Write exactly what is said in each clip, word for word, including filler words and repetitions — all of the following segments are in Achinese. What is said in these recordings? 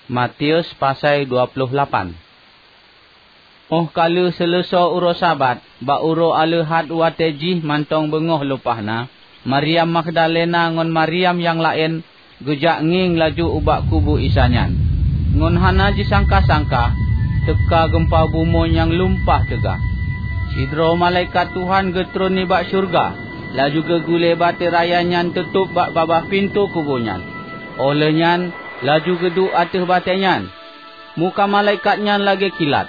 Matius pasai dua ploh lapan. Óh ka lheueh seuleusoe uroe Sabat, bak uroe Aleuhat watée jih mantong beungoh leupah na, Maryam Magdalena ngon Maryam nyang laén geujak ngieng laju ubak kubu Isa nyan. Ngon hana jisangka-sangka, teuka geumpa bumoe nyang lumpah teuga. Sidroe malaikat Tuhan geutron nibak syeuruga, laju geugulée batée raya nyan teutôb bak babah pintoe kubu nyan. Óh lheueh nyan, laju geuduek ateueh batée nyan. Muka malaikat nyan lagée kilat,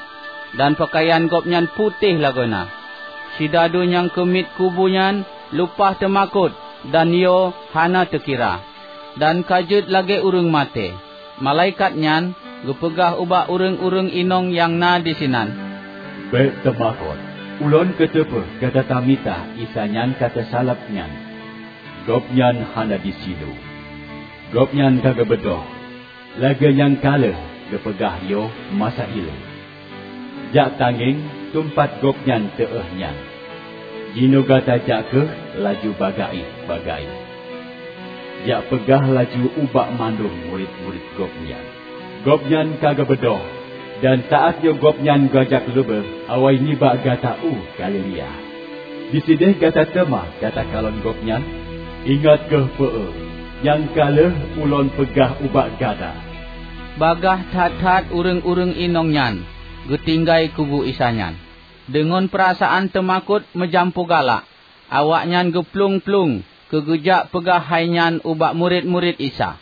dan peukayan gobnyan putéh lagoena. Sidadu nyang keumiet kubu nyan lumpah teumakot, dan yo hana teukira, dan ka jeuet lagée ureuëng maté. Malaikat nyan geupeugah ubak ureuëng-ureuëng inong nyang na disinan, "Bék teumakot. Ulôn kuteupeue gata tamita Isa nyang ka teusaleb nyan. Gobnyan hana disinoe. Gobnyan ka geubeudôh, lagée nyang ka lheueh geupeugah yoh masa ilée. Jak tangieng teumpat Gobnyan teuh nyan. Jinoe gata jak kheueh laju bagaih-bagaih. Jak peugah laju ubak mandum murit-murit Gobnyan, 'Gobnyan ka geubeudôh, dan saát nyoe Gobnyan geujak leubeh awai nibak gata u Galilea. Disideh gata teuma gata kalon Gobnyan. Ingat kheueh peue nyang ka lheueh Ulôn peugah ubak gata.'" Bagaih that-that ureuëng-ureuëng inong nyan geutinggai kubu Isa nyan. Deungon peurasaan teumakot meujampu galak, awaknyan geuplueng-plueng keu geujak peugah hai nyan ubak murit-murit Isa.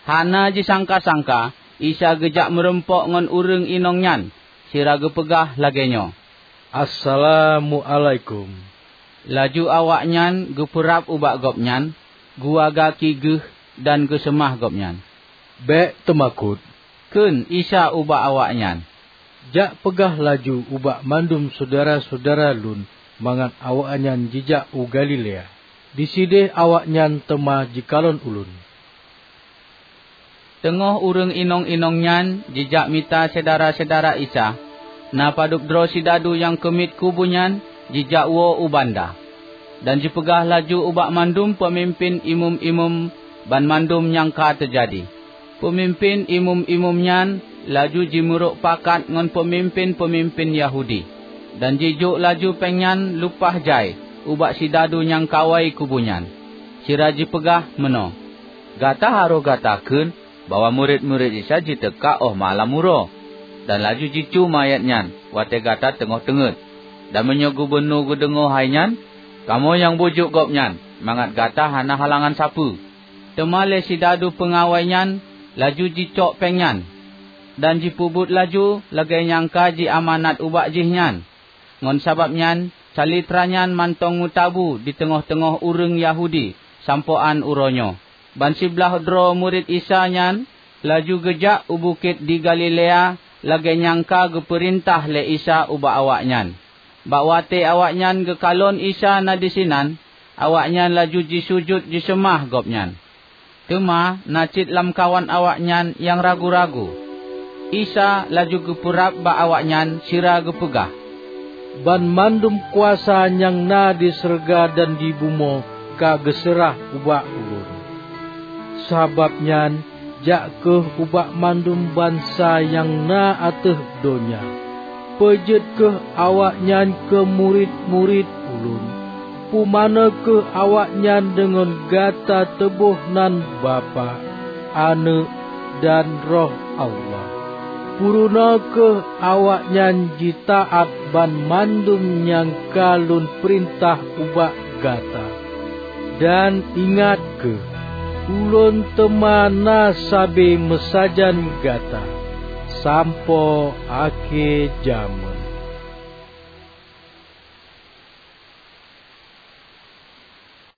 Hana jisangka-sangka, Isa geujak meurumpok ngon ureuëng inong nyan, sira geupeugah lagée nyoe, "Assalamuálaikum." Laju awaknyan geupeurab ubak Gobnyan, geuwa gaki geuh dan geuseumah Gobnyan. "Bék teumakot," kheun Isa ubak awaknyan. "Jak peugah laju ubak mandum syedara-syedara Lôn mangat awaknyan jijak u Galilea. Disideh awaknyan teuma jikalon Ulôn." Teungoh ureuëng inong-inong nyan jijak mita syedara-syedara Isa, na padub droe sidadu nyang keumiet kubu nyan jijak woe u banda, dan jipeugah laju ubak mandum peumimpén imeum-imeum banmandum nyang ka teujadi. Peumimpén imeum-imeum nyan laju jimeurok pakat ngon peumimpén-peumimpén Yahudi, dan jijok laju péng nyan lumpah jai ubak sidadu nyang kawai kubu nyan, sira jipeugah meunoe, "Gata harôh gata kheun bahwa murit-murit Isa jiteuka óh malam uroe, dan laju jicu manyét nyan watée gata teungoh teungét. Dan meunyoe gubunur geudeungoe hai nyan, kamoe nyang bujuk gobnyan mangat gata hana halangan sapeue." Teuma lé sidadu peungawai nyan laju jicok péng nyan, dan jipeubuet laju lagée nyang ka jiamanat ubak jih nyan. Ngon sabab nyan, calitra nyan mantong meutabu di teungoh-teungoh ureuëng Yahudi sampoe án uroe nyoe. Ban siblaih droe murit Isa nyan laju geujak u bukét di Galilea lagée nyang ka geupeurintah lé Isa ubak awaknyan. Bak watée awaknyan geukalon Isa na disinan, awaknyan laju jisujut jiseumah Gobnyan. Teuma na cit lamkawan awaknyan nyang ragu-ragu. Isa laju geupeurab bak awaknyan sira geupeugah, "Banmandum kuasa nyang na di syeuruga dan di bumoe ka geuseurah ubak Ulôn. Sabab nyan, jak kheueh ubak mandum bansa nyang na ateueh donya, peujeuet kheueh awaknyan keu murit-murit Ulôn. Pumanö kheueh awaknyan deungon gata teuboh nan Bapak, Aneuëk, dan Roh Allah. Peurunoe kheueh awaknyan jitaát banmandum nyang ka Lôn peurintah ubak gata. Dan ingat kheueh, Ulôn teuma na sabe meusajan gata sampoe akhé jamén."